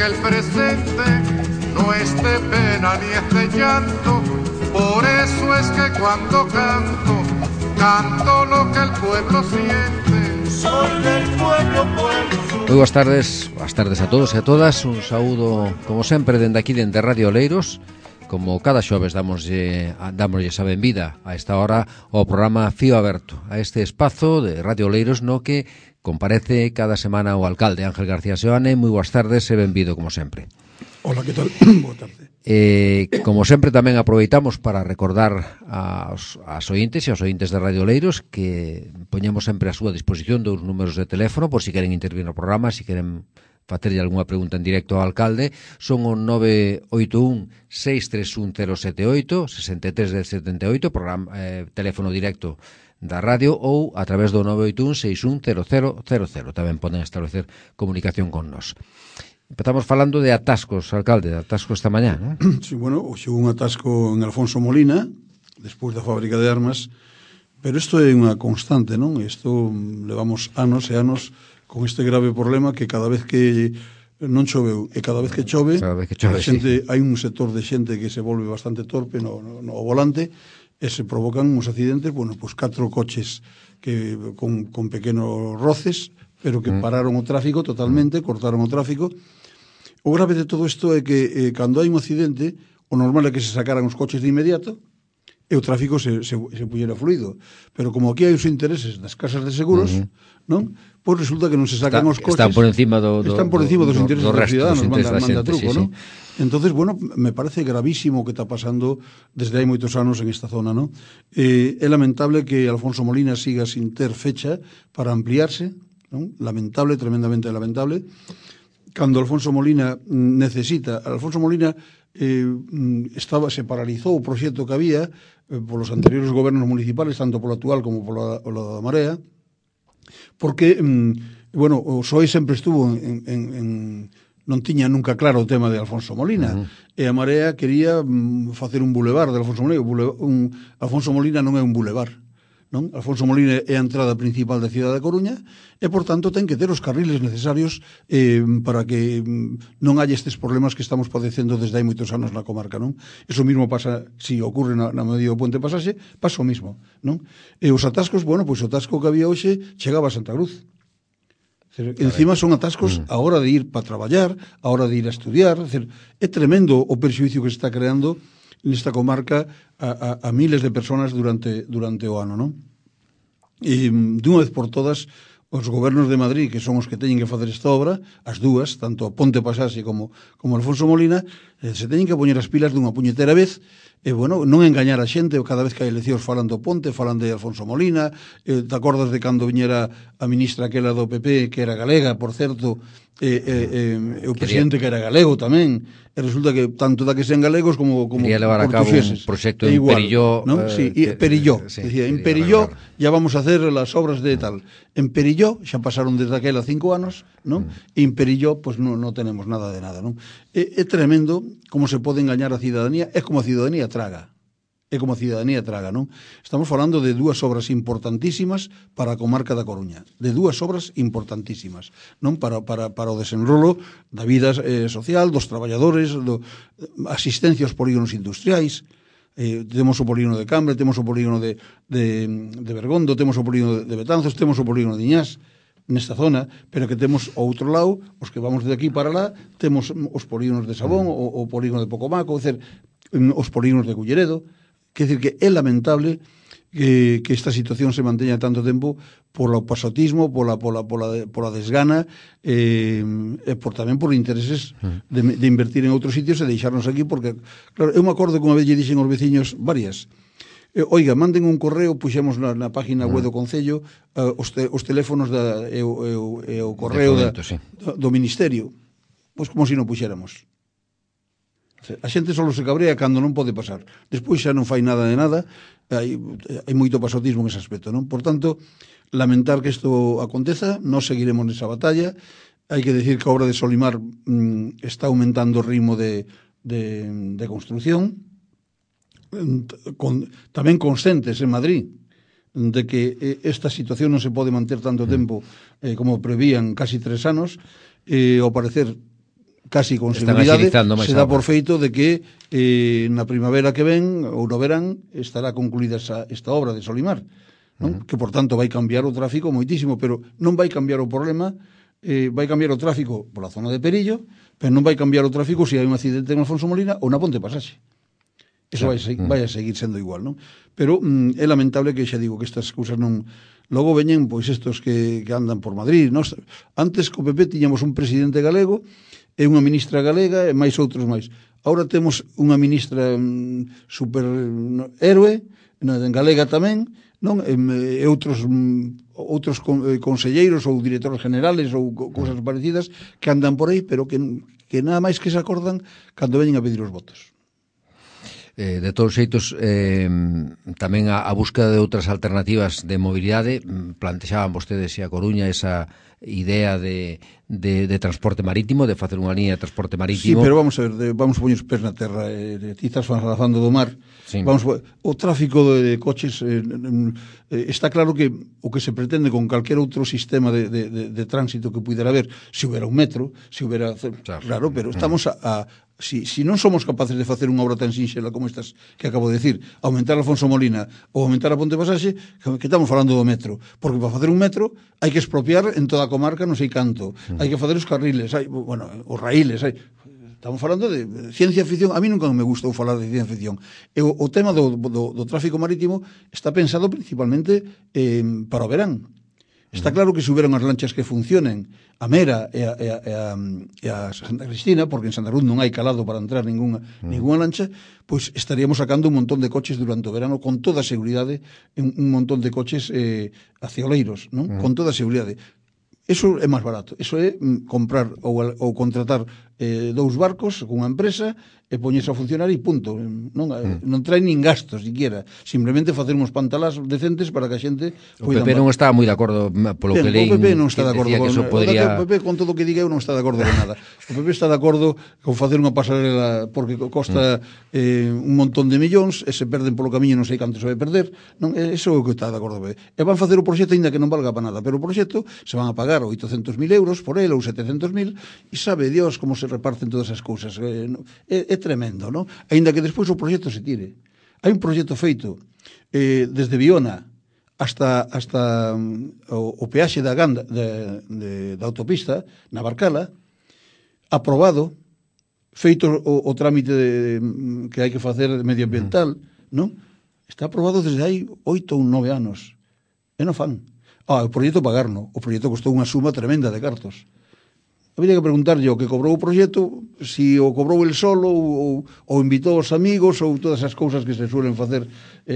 el presente no es de pena ni es de llanto. Por eso es que cuando canto, canto lo que el pueblo siente. Soy del pueblo, pueblo. Moi boas tardes a todos e a todas. Un saúdo, como sempre, dende aquí, dende Radio Oleiros. Como cada xoves damoslle a benvida a esta hora ao programa Fío Aberto, a este espazo de Radio Oleiros no que comparece cada semana o alcalde Ángel García Seoane. Moi boas tardes e benvido, como sempre. Hola, que tal? Boa tarde. Como sempre, tamén aproveitamos para recordar aos ointes e aos ointes de Radio Oleiros que poñemos sempre a súa disposición dous números de teléfono por si queren intervir no programa, si queren facerlle algunha pregunta en directo ao alcalde. Son o 981-631-078, 63-78, programa, teléfono directo da radio, ou a través do 981-610000. Tamén poden establecer comunicación con nós. Empezamos falando de atascos, alcalde, de atascos esta mañá, non? Sí, bueno, hoxe un atasco en Alfonso Molina, despois da fábrica de armas, pero isto é unha constante, non? Isto levamos anos e anos con este grave problema que cada vez que non choveu e cada vez que chove, a xente, sí. Hai un sector de xente que se volve bastante torpe no volante e se provocan uns accidentes, bueno, pois 4 coches que con pequenos roces, pero que pararon o tráfico totalmente, cortaron o tráfico. O grave de todo isto é que cando hai un accidente, o normal é que se sacaran os coches de inmediato e o tráfico se puxera fluido. Pero como aquí hai os intereses das casas de seguros, non? Pois resulta que non se sacan os coches. Están por encima dos intereses dos ciudadanos, manda truco, sí, non? Entonces, bueno, me parece gravísimo o que está pasando desde hai moitos anos en esta zona, non? É lamentable que Alfonso Molina siga sin ter fecha para ampliarse, non? Lamentable, tremendamente lamentable. Cando Alfonso Molina necesita... Alfonso Molina se paralizou o proxecto que había polos anteriores gobernos municipales, tanto polo actual como polo da Marea, porque, bueno, o PSOE sempre estuvo non tiña nunca claro o tema de Alfonso Molina, e a Marea quería facer un bulevar de Alfonso Molina. Alfonso Molina non é un bulevar, non? Alfonso Molina é a entrada principal da cidade da Coruña e, por tanto, ten que ter os carriles necesarios para que non haya estes problemas que estamos padecendo desde hai moitos anos na comarca, non? Iso mesmo pasa, si ocurre na medio do Puente Pasaxe, pasa o mismo, non? E os atascos, bueno, pois o atasco que había hoxe chegaba a Santa Cruz. Encima son atascos a hora de ir para traballar, a hora de ir a estudiar. É tremendo o perxuízo que se está creando nesta comarca a miles de personas durante o ano, non? E dunha vez por todas, os gobernos de Madrid, que son os que teñen que facer esta obra, as dúas, tanto a Ponte Pasaxe como Alfonso Molina, se teñen que poñer as pilas dunha puñetera vez. E, bueno, non engañar a xente. Cada vez que hai eleccións falan do Ponte, falan de Alfonso Molina. Te acordas de cando viñera a ministra aquela do PP, que era galega, por certo, o presidente que era galego tamén, e resulta que tanto da que sean galegos como quería levar a cabo un proxecto en Perilló, ¿no? Sí, Perilló, sí, decía, en Perilló ya vamos a hacer las obras de tal. En Perilló xa pasaron desde aquela 5 anos, ¿no? E en Perilló pues non tenemos nada de nada, ¿no? É tremendo como se pode engañar a cidadanía. É como a cidadanía traga. Non? Estamos falando de dúas obras importantísimas para a comarca da Coruña, de dúas obras importantísimas, non? Para o desenrolo da vida social, dos traballadores, asistencia aos polígonos industriais. Temos o polígono de Cambre, temos o polígono de Bergondo, temos o polígono de Betanzos, temos o polígono de Iñás nesta zona, pero que temos ao outro lado, os que vamos de aquí para lá, temos os polígonos de Sabón, o polígono de Pocomaco, os polígonos de Culleredo. Quer dizer que é lamentable que esta situación se manteña tanto tempo polo pasotismo, pola desgana, e tamén por intereses de invertir en outros sitios e deixarnos aquí, porque, claro, eu me acordo que unha vez lle dixen aos veciños varias: oiga, manden un correo, puxemos na página web do Concello os teléfonos e o correo do Ministerio. Pois como se non puxéramos. A xente só se cabrea cando non pode pasar. Despois xa non fai nada de nada. Hai moito pasotismo en ese aspecto, non? Por tanto, lamentar que isto aconteza. Nós seguiremos nesa batalla. Hai que decir que a obra de Solimar está aumentando o ritmo de construcción. Tamén conscientes en Madrid de que esta situación non se pode manter tanto tempo como prevían casi 3 anos. Ao parecer casi con Están seguridade axilizando máis se dá a por obra. feito de que na primavera que ven ou no verán estará concluída esta obra de Solimar, non? Que por tanto vai cambiar o tráfico moitísimo, pero non vai cambiar o problema, vai cambiar o tráfico pola zona de Perillo, pero non vai cambiar o tráfico se hai un accidente en Alfonso Molina ou na Ponte Pasaxe. Eso vai a seguir sendo igual, non? Pero é lamentable que xa digo que estas cousas non... Logo veñen, pois, estos que andan por Madrid, non? Antes co PP tiñamos un presidente galego e unha ministra galega e máis outros máis. Agora temos unha ministra super héroe, en galega tamén, non? E outros conselleiros ou directores generales ou cousas parecidas que andan por aí, pero que nada máis que se acordan cando veñen a pedir os votos. De todos os xeitos, tamén a búsqueda de outras alternativas de mobilidade. Plantexaban vostedes a Coruña esa idea de transporte marítimo, de facer unha liña de transporte marítimo. Sí, pero vamos a ver, vamos a poñer os pés na terra, ti estás falando do mar. Sí. O tráfico de coches está claro que o que se pretende con calquer outro sistema de tránsito que pudera haber, se houbera un metro, se houbera... Claro, pero estamos si non somos capaces de facer unha obra tan sinxela como estas que acabo de decir, aumentar Alfonso Molina ou aumentar a Ponte Pasaxe, que estamos falando do metro, porque para facer un metro hai que expropiar en toda a comarca non sei canto, hai que facer os carriles, os raíles, estamos falando de ciencia ficción. A mí nunca me gustou falar de ciencia ficción. E o tema do tráfico marítimo está pensado principalmente para o verán. Está claro que se houberan as lanchas que funcionen a Mera e a Santa Cristina, porque en Santa Cruz non hai calado para entrar ninguna lancha, pois estaríamos sacando un montón de coches durante o verano con toda a seguridade, un montón de coches acioleiros, non? Con toda a seguridade. Eso é máis barato. Eso é comprar ou contratar 2 barcos con unha empresa e poñerse a funcionar e punto. Non trae nin gastos siquiera, simplemente facer uns pantalás decentes para que a xente o PP non estaba moi de acordo polo que leín. O PP non está de acordo con podría... O PP, con todo o que diga eu, non está de acordo con nada. O PP está de acordo con facer unha pasarela porque costa un montón de millóns e se perden polo camiño, non sei canto se vai perder, non? Eso é o que está de acordo o PP. E van facer o proxecto aínda que non valga para nada, pero o proxecto se van a pagar 800.000 euros por ele ou 700.000 e sabe Dios como se reparten todas esas cousas. É tremendo, non? Aínda que despois o proxecto se tire. Hai un proxecto feito desde Viona hasta o peaxe da Ganda da autopista na Barcala, aprobado, feito o trámite que hai que facer medioambiental, non? Está aprobado desde hai 8 ou 9 anos e non fan. O proxecto pagarno. O proxecto costou unha suma tremenda de cartos. Habría que preguntarlle o que cobrou o proxecto, si o cobrou el solo ou invitou os amigos ou todas as cousas que se suelen facer.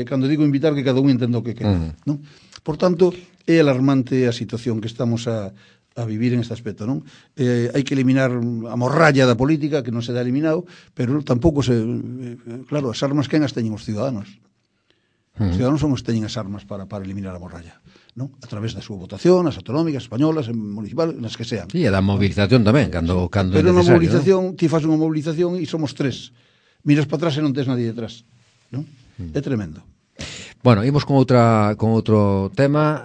Cando digo invitar, que cada un entenda o que queda. Non? Por tanto, é alarmante a situación que estamos a vivir en este aspecto, non? Hai que eliminar a morralla da política, que non se dá eliminado, pero tampouco claro, as armas quen as teñen os ciudadanos. Os ciudadanos son os que teñen as armas para eliminar a morralla, non? A través da súa votación, as autonómicas, españolas, municipales, nas que sean. Sí, e da movilización tamén, cando pero é necesario. Pero na movilización, ti faz unha movilización e somos 3. Miras para atrás e non tes nadie detrás, non? É tremendo. Bueno, imos con outro tema.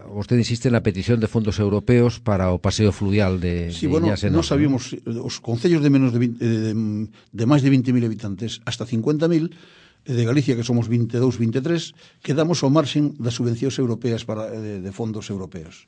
Vostede insiste na petición de fondos europeos para o paseo fluvial de Iñas Enosa. Nós sabíamos os concellos de menos de máis de 20.000 habitantes hasta 50.000 de Galicia, que somos 22, 23, quedamos ao marxen das subvencións europeas de fondos europeos.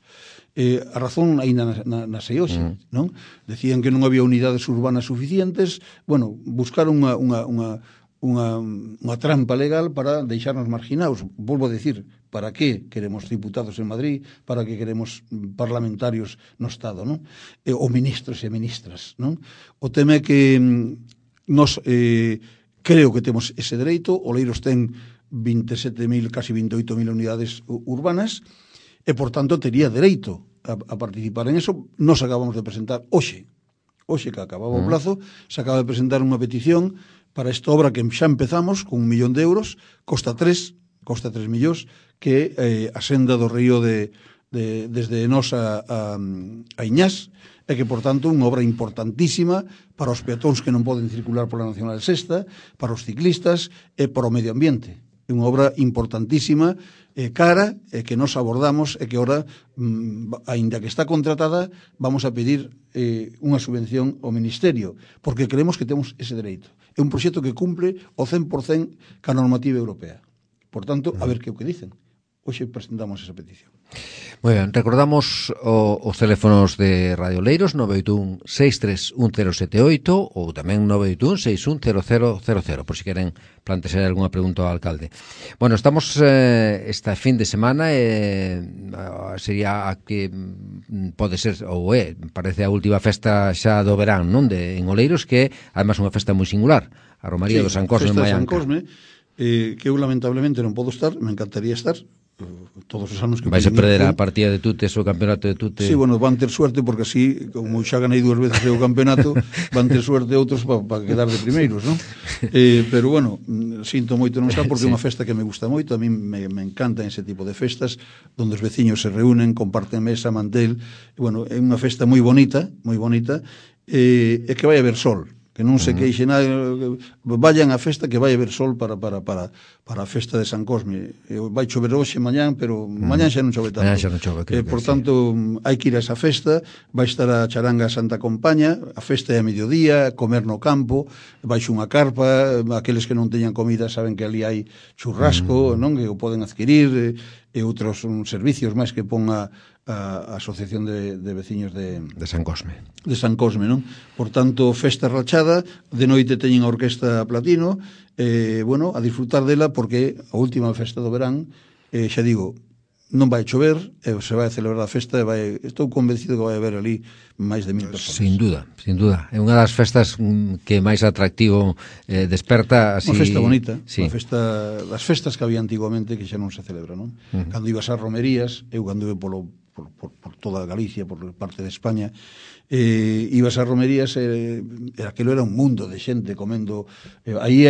A razón aínda na SEOXE, non? Decían que non había unidades urbanas suficientes. Bueno, buscaron unha trampa legal para deixarnos marginados. Volvo a decir, para que queremos diputados en Madrid, para que queremos parlamentarios no Estado, non? Ou ministros e ministras, non? O tema é que nos... creo que temos ese dereito. Oleiros ten 27.000, casi 28.000 unidades urbanas e, por tanto, tería dereito a participar en eso. Nos acabamos de presentar hoxe que acababa o plazo, se acaba de presentar unha petición para esta obra que xa empezamos con 1 millón de euros, costa 3 millóns, que a senda do río desde Enosa a Iñás, e que, por tanto, unha obra importantísima para os peatóns que non poden circular pola Nacional Sexta, para os ciclistas e para o medio ambiente. É unha obra importantísima, cara, que nos abordamos e que ora, aínda que está contratada, vamos a pedir unha subvención ao Ministerio, porque creemos que temos ese dereito. É un proxecto que cumple o 100% ca normativa europea. Por tanto, a ver que o que dicen. Hoxe presentamos esa petición. Moi ben, recordamos os teléfonos de Radio Oleiros 981-631078 ou tamén 981-610000 por si queren plantexar algunha pregunta ao alcalde. Bueno, estamos esta fin de semana sería a que pode ser ou parece a última festa xa do verán, non? En Oleiros, que é además unha festa moi singular, a Romaría do San Cosme en Maianca. San Cosme, que eu lamentablemente non podo estar, me encantaría estar todos os anos que vais a perder a partida de Tutes, o campeonato de Tutes. Sí, bueno, van ter suerte porque así, como xa ganei 2 veces o campeonato, van ter suerte outros para quedar de primeiros, non? Pero bueno, sinto moito non estar porque é unha festa que me gusta moito, a mí me encanta ese tipo de festas onde os veciños se reúnen, comparten mesa, mantel, e bueno, é unha festa moi bonita, e que vai haber sol, que non se queixe nada, vayan á festa que vai haber sol para a festa de San Cosme. Vai chover hoxe, mañán, pero mañán xa non chove tanto. Mañán xa non chove, creo que por tanto, hai que ir a esa festa, vai estar a charanga Santa Compaña, a festa é a mediodía, comer no campo, baixo unha carpa, aqueles que non teñan comida saben que ali hai churrasco, non? Que o poden adquirir, e outros servicios máis que pon a Asociación de Veciños de San Cosme. De San Cosme, non? Por tanto, festa rachada, de noite teñen a Orquesta Platino, bueno, a disfrutar dela porque a última festa do verán, xa digo, non vai chover, se vai a celebrar a festa, estou convencido que vai haber ali máis de 1000 personas. Sin dúda. É unha das festas que máis atractivo desperta así. Unha festa bonita, sí. Das festas que había antiguamente que xa non se celebra, non? Cando ibas ás romerías, eu cando iba por toda Galicia, por parte de España, ibas ás romerías, aquilo era un mundo de xente comendo, aí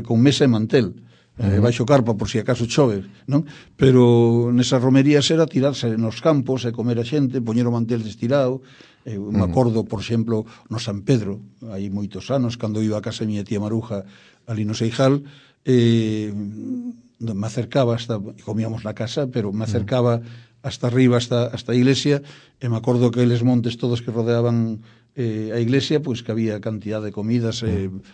con mesa e mantel, baixo carpa por si acaso chove, non? Pero nesas romerías era tirarse nos campos e comer a xente, poñer o mantel destirado. Me acordo, por exemplo, no San Pedro, hai moitos anos, cando iba a casa da miña tía Maruja ali no Seijal, me acercaba comíamos na casa, pero me acercaba hasta arriba, hasta a iglesia, e me acordo que eles montes todos que rodeaban a iglesia, pois que había cantidad de comidas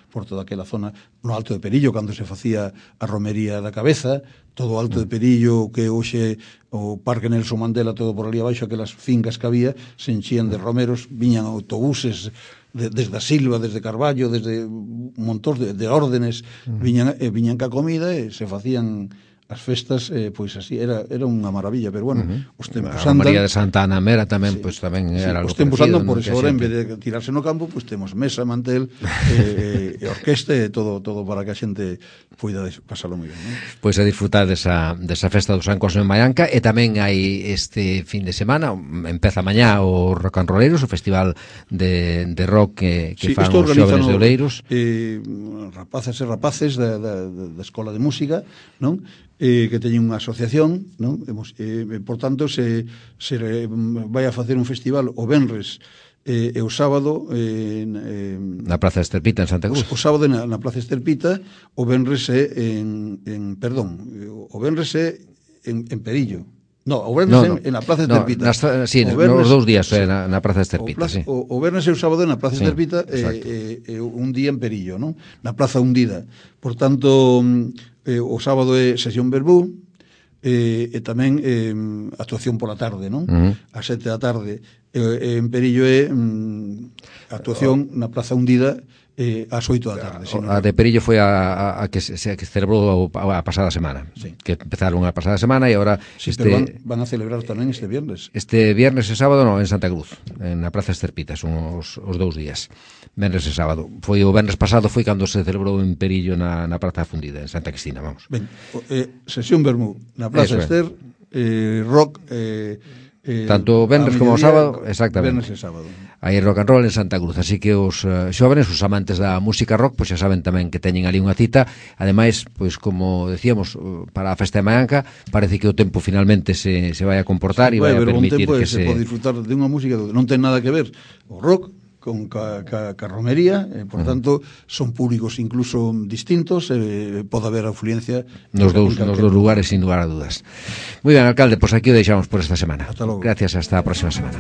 por toda aquela zona, no Alto de Perillo, cando se facía a romería da Cabeza, todo o Alto de Perillo, que hoxe o Parque Nelson Mandela, todo por ali abaixo, aquelas fincas que había, se enchían de romeros, viñan autobuses desde a Silva, desde Carballo, desde un montón de órdenes, viñan ca comida e se facían as festas, pois así, era unha maravilla, pero bueno, os tempos andan. A María de Santa Ana Mera tamén, pois tamén era algo parecido. Os tempos andan, por eso ahora, en vez de tirarse no campo, pois temos mesa, mantel, e orquesta, e todo para que a xente poida pasalo moi ben, non? Pois a disfrutar desa festa do San Cosme en Maianca, e tamén hai este fin de semana, empeza mañá o Rock and Rolleiros, o festival de rock que fan os xóvenes de Oleiros. Rapaces e rapaces da Escola de Música, non? Que teñen unha asociación, non? Por tanto, se vai a facer un festival o venres e o sábado na Praza Esterpita en Santa Cruz. O sábado na Praza Esterpita, o venres é o venres é en Perillo. No, o vernes en la Praza Esterpita. Sí, nos 2 días na Praza Esterpita, sí. O vernes e o sábado na Praza Esterpita, un día en Perillo, non? Na Praza Hundida. Por tanto, o sábado é sesión verbú, e tamén actuación pola tarde, non? A 7 da tarde. En Perillo é actuación na Praza Hundida ás 8 da tarde. A de Perillo foi a que se celebrou a pasada semana, que empezaron a pasada semana e agora... Sí, pero van a celebrar tamén este viernes. Este viernes e sábado en Santa Cruz, na Praza Esterpita, son os 2 días, viernes e sábado. Foi o viernes pasado, foi cando se celebrou en Perillo na Praza Fundida, en Santa Cristina, vamos. Ben, sesión Bermú, na Praza Ester, rock... tanto o venres como o sábado, exactamente. Venres e sábado. Hai rock and roll en Santa Cruz, así que os xóvenes, os amantes da música rock, pois xa saben tamén que teñen ali unha cita. Ademais, pois como decíamos, para a festa de Maianca, parece que o tempo finalmente se vai a comportar e vai a permitir que se pode disfrutar de unha música non ten nada que ver o rock ca romería, por tanto, son públicos incluso distintos, pode haber afluencia nos dous lugares, sin lugar a dudas. Muy ben, alcalde, pois aquí o deixamos por esta semana. Hasta logo. Gracias, hasta a próxima semana.